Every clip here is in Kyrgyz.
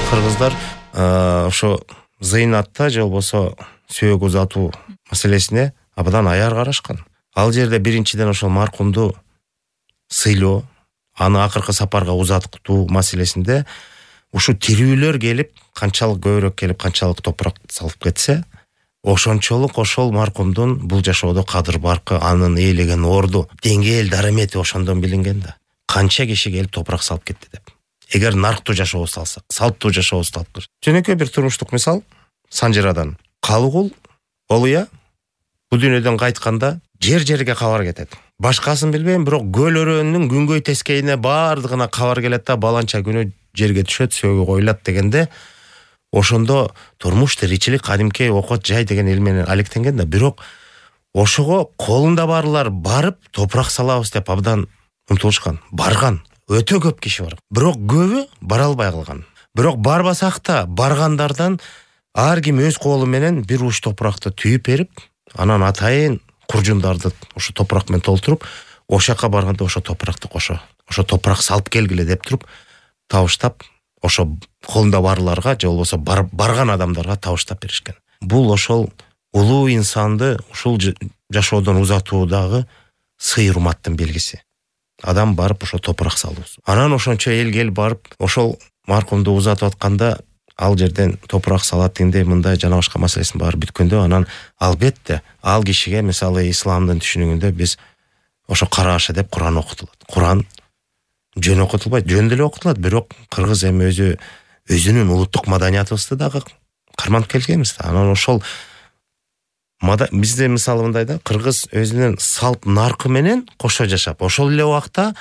кыргыздар ошо зыйнатта же болбосо сөөк узатуу маселесине абдан аяр карашкан. Ал жерде биринчиден ошол маркумду сыйлоо, аны акыркы сапарга узатуу маселесинде ушу тирүүлөр келип, канчалык көбүрөөк келип, канчалык топурак салып кетсе, ошончолук ошол маркумдун бул жашоодо кадыр баркы, анын ээлеген орду, деңгээл дарамети ошондон билинген да. Канча киши келип топурак салып кетти деп. Эгер нарктуу жашообузду алсак, салттуу жашообузду алып көрсөк. Жөнөкөй бир турмуштук мисал Санжирадан. Калыгул Олуя бул дүйнөдөн кайтканда жерге кабар кетет. Башкасын билбейм, бирок көл өрөөнүнүн күнгөй тескейине бардыгына кабар келет да, баланча күнү жерге түшөт, сөөгү коюлат дегенде, ошондо турмуш, тиричилик, кадимки окот жай деген эл менен алектенген да. Бирок ошого колунда барлар барып топурак салабыз деп абдан умтулушкан. Барган өтө көп киши бар. Бирок көбү бара албай калган. Бирок барбасак да баргандардан ар ким өз колу менен бир уч топуракты түйүп берип, анан атайын куржундарды ошо топурак менен толтуруп, ошакка барганда ошо топуракты ошо топурак салып келгиле деп туруп, табыштап, ошо колунда барларга же болбосо барган адамдарга табыштап беришкен. Бул ошол улуу инсанды ушул жашоодон узатуудагы сый-урматтын белгиси. Адам барып ошо топурак салуусу. Анан ошончо эл келип барып ошол маркумду узатып атканда ал жерден топурак салат дегенде мындай жана башка маселесин баары бүткөндө, анан албетте ал кишиге мисалы исламдын түшүнүгүндө биз ошо карааша деп Куран окутулат. Куран жөн окутулбайт, жөн деле окутулат, бирок кыргыз эми өзүнүн улуттук маданиятыбызды дагы карманып келгенбиз да. Анан ошол бизде мисалы мындай да, кыргыз өзүнүн салт наркы менен кошо жашап, ошол эле убакта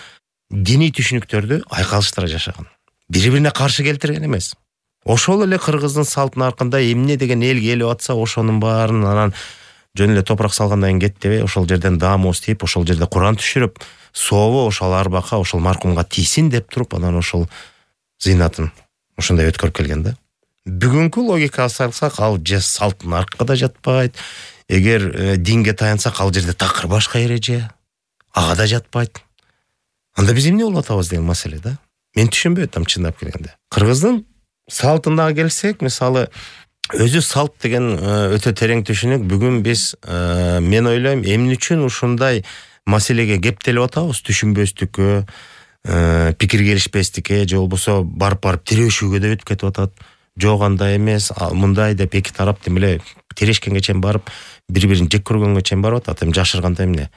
диний түшүнүктөрдү айкалыштыра жашаган. Бири-бирине каршы келтирген эмес. Ошол эле кыргыздын салт наркында эмне деген эл келип атса, ошонун баарын анан жөн эле топурак салгандан кийин кетпей, ошол жерден даамыбыз тийип, ошол жерде Куран түшүрүп, сообу ошол арбакка, ошол маркумга тийсин деп туруп, анан ошол зыйнатын ошондой өткөрүп келген да. Бүгүнкү логикага салсак, ал же салт наркка да жатпайт. Эгер динге таянсак, ал жерде такыр башка эреже, ага да жатпайт. Анда биз эмне болуп атабыз деген маселе да. Мен түшүнбөй атам чындап келгенде. Кыргыздын салтына келсек, мисалы өзү салт деген өтө терең түшүнүк. Бүгүн биз мен ойлойм, эмне үчүн ушундай маселеге кептелип атабыз? Түшүнбөстүккө, пикир келишпестикке, же болбосо барып тирешүүгө да өтүп кетип атат. Жок, андай эмес, мындай деп эки тарап демеле тирешкенге чейин барып, бири-бирин жек көргөнгө чейин барып атат. Эми жашырганда эмне?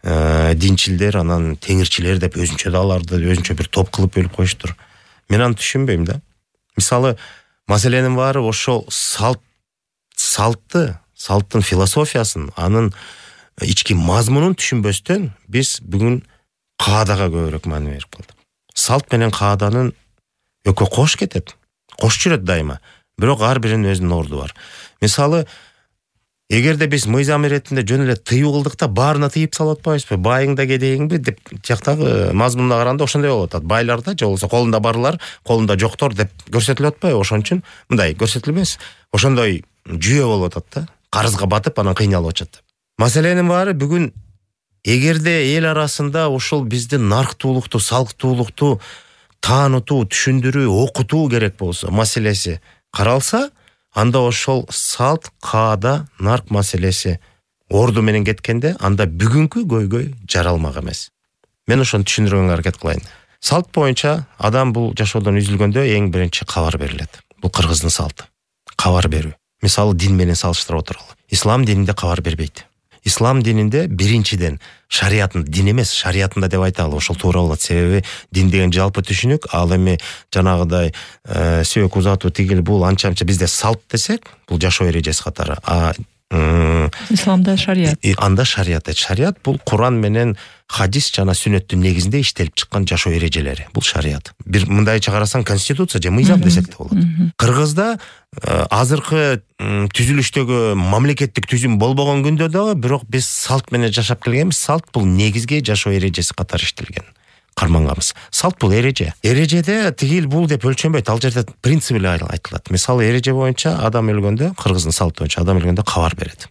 Динчилдер, анан теңирчилер деп өзүнчө да аларды өзүнчө бир топ кылып бөлүп коюштур. Мен аны түшүнбөйм да. Мисалы, маселенин баары ошол салттын философиясын, анын ички мазмунун түшүнбөстөн биз бүгүн каадага көбүрөөк маани берип калдык. Салт менен кааданын экөө кош кетет. Кош жүрөт дайыма. Бирок ар биринин өзүнүн орду бар. Мисалы, эгерде биз мыйзам иретинде жөн эле тыюу кылдык да, баарына тыйып салып атпайбызбы? Байың да кедейиңби деп тияктагы мазмунуна караганда ошондой болуп атат. Байларда же болбосо колунда барлар, колунда жоктор деп көрсөтүлүп атпайбы? Ошон үчүн мындай көрсөтүлбөс. Ошондой жүйө болуп атат да. Карызга батып, анан кыйналып атышат. Маселенин баары бүгүн эгерде эл арасында ушул биздин нарктуулукту, салттуулукту таанытуу, түшүндүрүү, окутуу керек болсо, маселеси каралса, анда ошол салт, каада, нарк маселеси орду менен кеткенде, анда бүгүнкү көйгөй жаралмак эмес. Мен ошону түшүндүргөнгө аракет кылайын. Салт боюнча адам бул жашоодон үзүлгөндө эң биринчи кабар берилет. Бул кыргыздын салты. Кабар берүү. Мисалы, дин менен салыштырып отуралы. Ислам дининде кабар бербейт. Ислам дининде биринчиден шариятын, дин эмес, шариятында деп айталы, ошол туура болот. Себеби дин деген жалпы түшүнүк, ал эми жанагыдай сөөк узатуу тигил бул анча бизде салт десек, бул жашоо эрежеси катары. Исламда шарият. Анда шарият. Шарият бул Куран менен хадис жана сүннөттүн негизинде иштелип чыккан жашоо эрежелери. Бул шарият. Бир мындайча карасаң конституция же мыйзам десек да болот. Кыргызда азыркы түзүлүштөгү мамлекеттик түзүм болбогон күндө дагы, бирок биз салт менен жашап келгенбиз. Салт бул негизги жашоо эрежеси катары иштелген. Кармангабыз. Салт бул эреже. Эрежеде тигил бул деп өлчөнбөйт. Ал жерде принцип эле айтылат. Мисалы, эреже боюнча адам өлгөндө, кыргыздын салты боюнча адам өлгөндө кабар берет.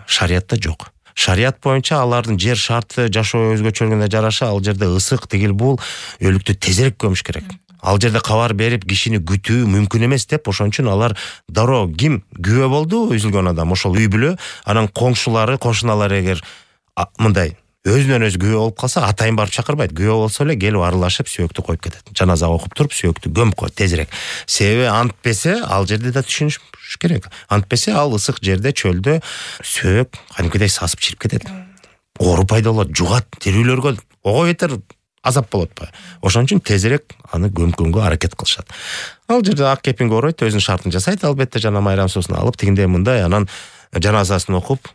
Шариятта жок. Шарият боюнча алардын жер шарты, жашоо өзгөчөлүгүнө жараша ал жерде ысык, тигил бул өлүктү тезирээк көмүш керек. Ал жерде кабар берип кишини күтүү мүмкүн эмес деп, ошон үчүн алар дароо ким күбө болду, үзүлгөн адам, ошол үй бүлө, анан коңшулары, кошуналары эгер мындай өзүнөн өзү күбө болуп калса, атайын барып чакырбайт. Күбө болсо эле келип аралашып сөөктү коюп кетет. Жаназа окуп туруп сөөктү көмүп коет тезирээк. Себеби антпесе ал жерде да түшүнүш керек. Антпесе ал ысык жерде, чөлдө сөөк кадимкидей сасып чирип кетет. Оору пайда болот, жугат, тирүүлөргө ого бетер азап болот ба. Ошон үчүн тезирээк аны көмкөнгө аракет кылышат. Ал жерде ак кепинге оройт, өзүнүн шартын жасайт, албетте жана майрам суусун алып, тигиндей мындай, анан жаназасын окуп,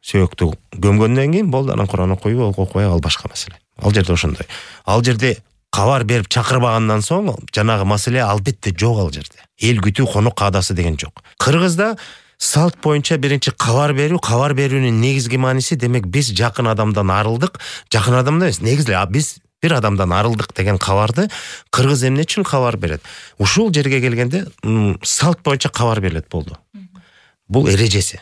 сөөктү көмгөндөн кийин болду, анан Кур'ан окуйбу, окубайбы, ал башка маселе. Ал жерде ошондой. Ал жерде кабар берип чакырбагандан соң жанагы маселе албетте жок ал жерде. Эл күтүү, конок каадасы деген жок. Кыргызда салт боюнча биринчи кабар берүүнүн негизги мааниси, демек биз жакын адамдан арылдык, жакын адамдан эмес, негизи биз бир адамдан арылдык деген кабарды кыргыз эмне үчүн кабар берет? Ушул жерге келгенде салт боюнча кабар берилет болду. Бул эрежеси.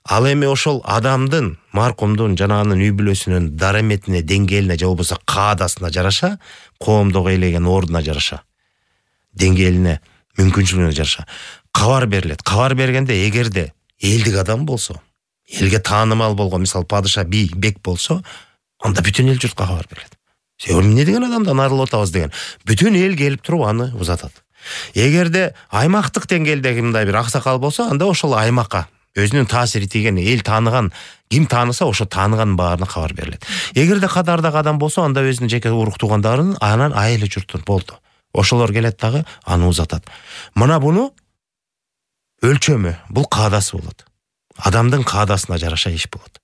Ал эми ошол адамдын, маркумдун, жана анын үй бүлөсүнүн дараметине, деңгээлине, же болбосо каадасына жараша, коомдогу ээлеген ордуна жараша, деңгээлине, мүмкүнчүлүгүнө жараша кабар берилет. Кабар бергенде эгерде элдик адам болсо, элге таанымал болгон, мисалы падыша, бий, бек болсо, анда бүтүн эл журтка кабар берилет. Эмне деген адамдан арылып атабыз деген. Бүтүн эл келип туруп аны узатат. Эгерде аймактык деңгээлдеги мындай бир аксакал болсо, анда ошол аймакка өзүнүн таасири тийген, эл тааныган, ким тааныса ошо тааныганын баарына кабар берилет. Эгерде катардагы адам болсо, анда өзүнүн жеке урук туугандарын, анан айылы журтун болду. Ошолор келет дагы аны узатат. Мына буну өлчөмү, бул каадасы болот. Адамдын каадасына жараша иш болот.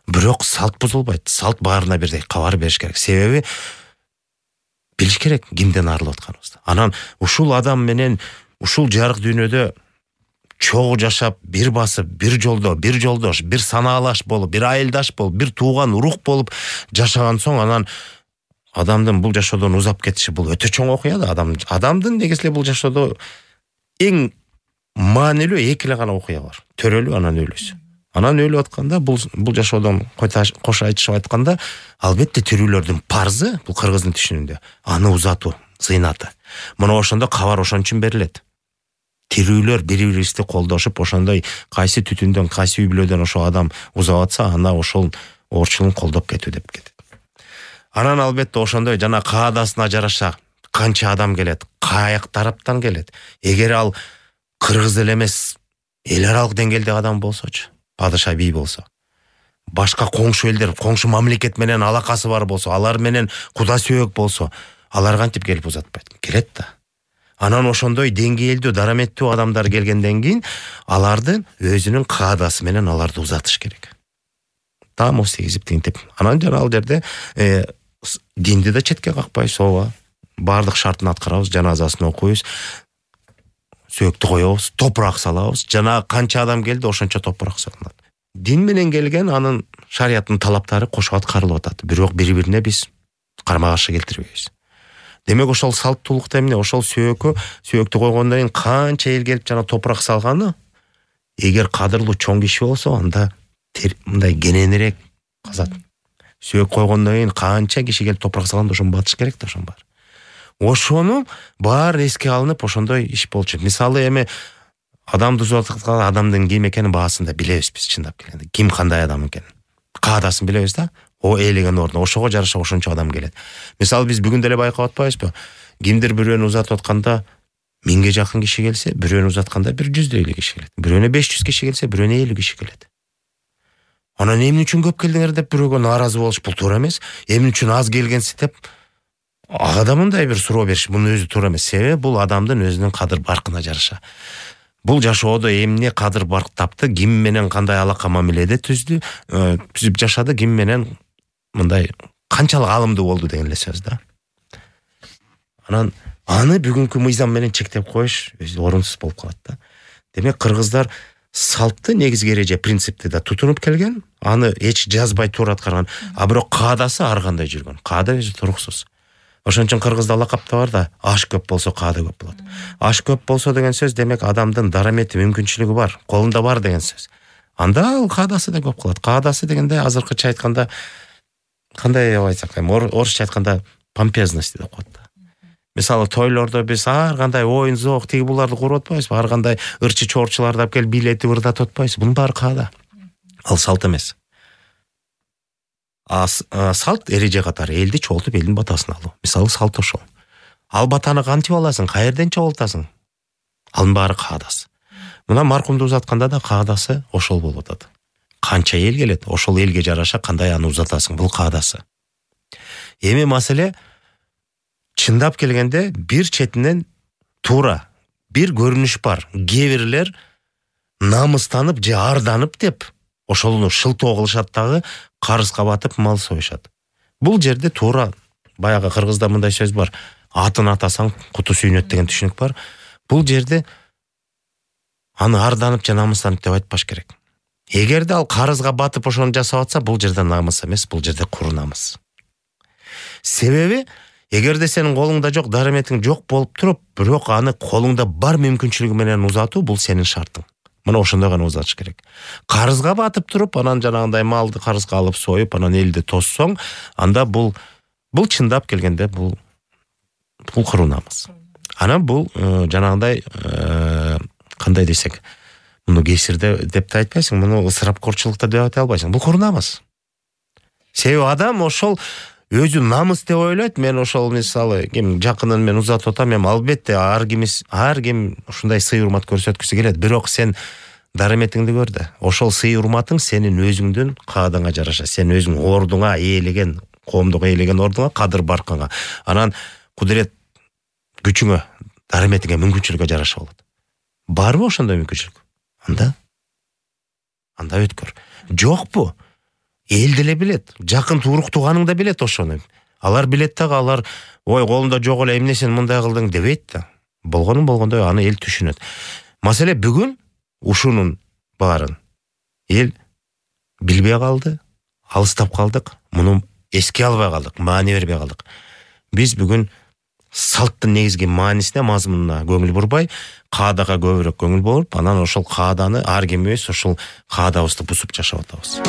Бирок салт бузулбайт. Салт баарына бирдей кабар бериш керек. Себеби билиш керек кимден арылып атканыбызды. Анан ушул адам менен ушул жарык дүйнөдө чогуу жашап, бир басып, бир жолдош, бир санаалаш болуп, бир айылдаш болуп, бир тууган урук болуп жашаган соң, анан адамдын бул жашоодон узап кетиши бул өтө чоң окуя да. Адамдын негизи бул жашоодо эң маанилүү эки эле гана окуя бар. Төрөлүү, анан өлүүсү. Анан өлүп атканда, бул жашоодон кош айтышып айтканда, албетте тирүүлөрдүн парзы, бул кыргыздын түшүнүндө, аны узатуу, зыйнаты. Мына ошондо кабар ошон үчүн берилет. Тирүүлөр бири-бирибизди колдошуп, ошондой кайсы түтүндөн, кайсы үй бүлөдөн ошол адам узап атса, ана ошол оорчулун колдоп кетүү деп кетет. Анан албетте ошондой жана каадасына жараша канча адам келет, каяк тараптан келет. Эгер ал кыргыз эле эмес, эл аралык деңгээлдеги адам болсочу, падыша, бий болсо, башка коңшу элдер, коңшу мамлекет менен алакасы бар болсо, алар менен куда сөөк болсо, алар кантип келип узатпайт? Келет да. Анан ошондой деңгээлдүү, дараметтүү адамдар келгенден кийин алардын өзүнүн каадасы менен аларды узатыш керек. Тамос тийгизип, тинтип. Анан жана ал жерде динди да четке какпайбыз, ооба. Бардык шартын аткарабыз, жаназасын окуйбуз, сөөктү коебуз, топурак салабыз. Жана канча адам келди, ошончо топурак салынат. Дин менен келген анын шарияттын талаптары кошо аткарылып атат. Бирок бири-бирине биз карма-каршы келтирбейбиз. Демек ошол салттуулукта эмне, ошол сөөктү койгондон кийин канча эл келип жана топурак салганы, эгер кадырлуу чоң киши болсо, анда мындай кененирээк казат. Сөөк койгондон кийин канча киши келип топурак салганда ошону батыш керек да, ошон бар. Ошону баары эске алынып, ошондой иш болчу. Мисалы эми адамды узатканда адамдын ким экенин баасын да билебиз биз, чындап келгенде. Ким кандай адам экенин. Каадасын билебиз да. О ээлеген ордуна ошого жараша ошончо адам келет. Мисалы биз бүгүн деле байкап атпайбызбы? Кимдир бирөөнү узатып атканда 1000ге жакын киши келсе, бирөөнү узатканда 100 киши келет. Бирөөнө 500 киши келсе, бирөөнө 50 киши келет. Анан эмне үчүн көп келдиңер деп бирөөгө нааразы болуш бул туура эмес. Эмне үчүн аз келгенсиз деп ага да мындай бир суроо бериш, бунун өзү туура эмес. Себеби бул адамдын өзүнүн кадыр баркына жараша. Бул жашоодо эмне кадыр барк тапты, ким менен кандай алака мамиледе түзүп жашады, ким менен мындай канчалык алымдуу болду деген эле сөз да. Анан аны бүгүнкү мыйзам менен чектеп коюш өзү орунсуз болуп калат да. Демек кыргыздар салтты, негизги эреже, принципти да тутунуп келген, аны эч жазбай туура аткарган, а бирок каадасы ар кандай жүргөн. Каада өзү туруксуз. Ошон үчүн кыргызда лакап да бар да, аш көп болсо каада көп болот. Аш көп болсо деген сөз, демек адамдын дарамети, мүмкүнчүлүгү бар, колунда бар деген сөз. Анда ал каадасы да көп калат. Каадасы дегенде азыркыча айтканда, кандай айтсак, орусча айтканда помпезность деп коет да. Мисалы тойлордо биз ар кандай оюн зоок тиги буларды куруп атпайбызбы? Ар кандай ырчы чорчуларды алып келип бийлетип ырдатып атпайбызбы? Бунун баары каада. Ал салт эмес. Салт эреже катары элди чогултуп элдин батасын алуу. Мисалы салт ошол. Ал батаны кантип аласың? Каерден чогултасың? Анын баары каадасы. Мына маркумду узатканда да каадасы ошол болуп атат. Канча эл келет, ошол элге жараша кандай аны узатасың, бул каадасы. Эми маселе чындап келгенде бир четинен туура бир көрүнүш бар. Кээ бирлер намыстанып же арданып деп ошолну шылтоо кылышат дагы, карызга батып мал союшат. Бул жерде туура баягы кыргызда мындай сөз бар. Атын атасаң куту сүйнөт деген түшүнүк бар. Бул жерде аны арданып же намыстанып деп айтпаш керек. Эгерде ал карызга батып ошону жасап атса, бул жерде намыс эмес, бул жерде куру намыс. Себеби эгерде сенин колуңда жок, дарыметиң жок болуп туруп, бирок аны колуңда бар мүмкүнчүлүгү менен узатуу, бул сенин шартың. Мына ошондой гана узатыш керек. Карызга батып туруп, анан жанагындай малды карызга алып союп, анан элди тоссоң, анда бул чындап келгенде бул куру намыс. Анан бул жанагындай кандай десек, муну кесирде деп да айтпайсың, муну ысырапкорчулукта деп айта албайсың. Бул куру намыс. Себеби адам ошол өзү намыс деп ойлойт. Мен ошол мисалы ким жакынын мен узатып атам, мен албетте ар ким ушундай сый урмат көрсөткүсү келет. Бирок сен дарыметиңди көр да. Ошол сый урматың сенин өзүңдүн каадаңа жараша, сен өзүң ордуңа ээлеген, коомдук ээлеген ордуңа, кадыр баркыңа, анан кудурет күчүңө, дарыметиңе, мүмкүнчүлүгүнгө жараша болот. Барбы ошондой мүмкүнчүлүк? Анда өткөр. Жокпу? Эл деле билет, жакын турук тууганың да билет ошону. Алар билет дагы, алар ой колунда жок эле эмне сен мындай кылдың дебейт да. Болгондой аны эл түшүнөт. Маселе бүгүн ушунун баарын эл билбей калды, алыстап калдык, муну эске албай калдык, маани бербей калдык. Биз бүгүн салттын негизги маанисине, мазмунуна көңүл бурбай, каадага көбүрөөк көңүл буруп, анан ошол кааданы ар ким ошол каадабызды бузуп жашап атабыз.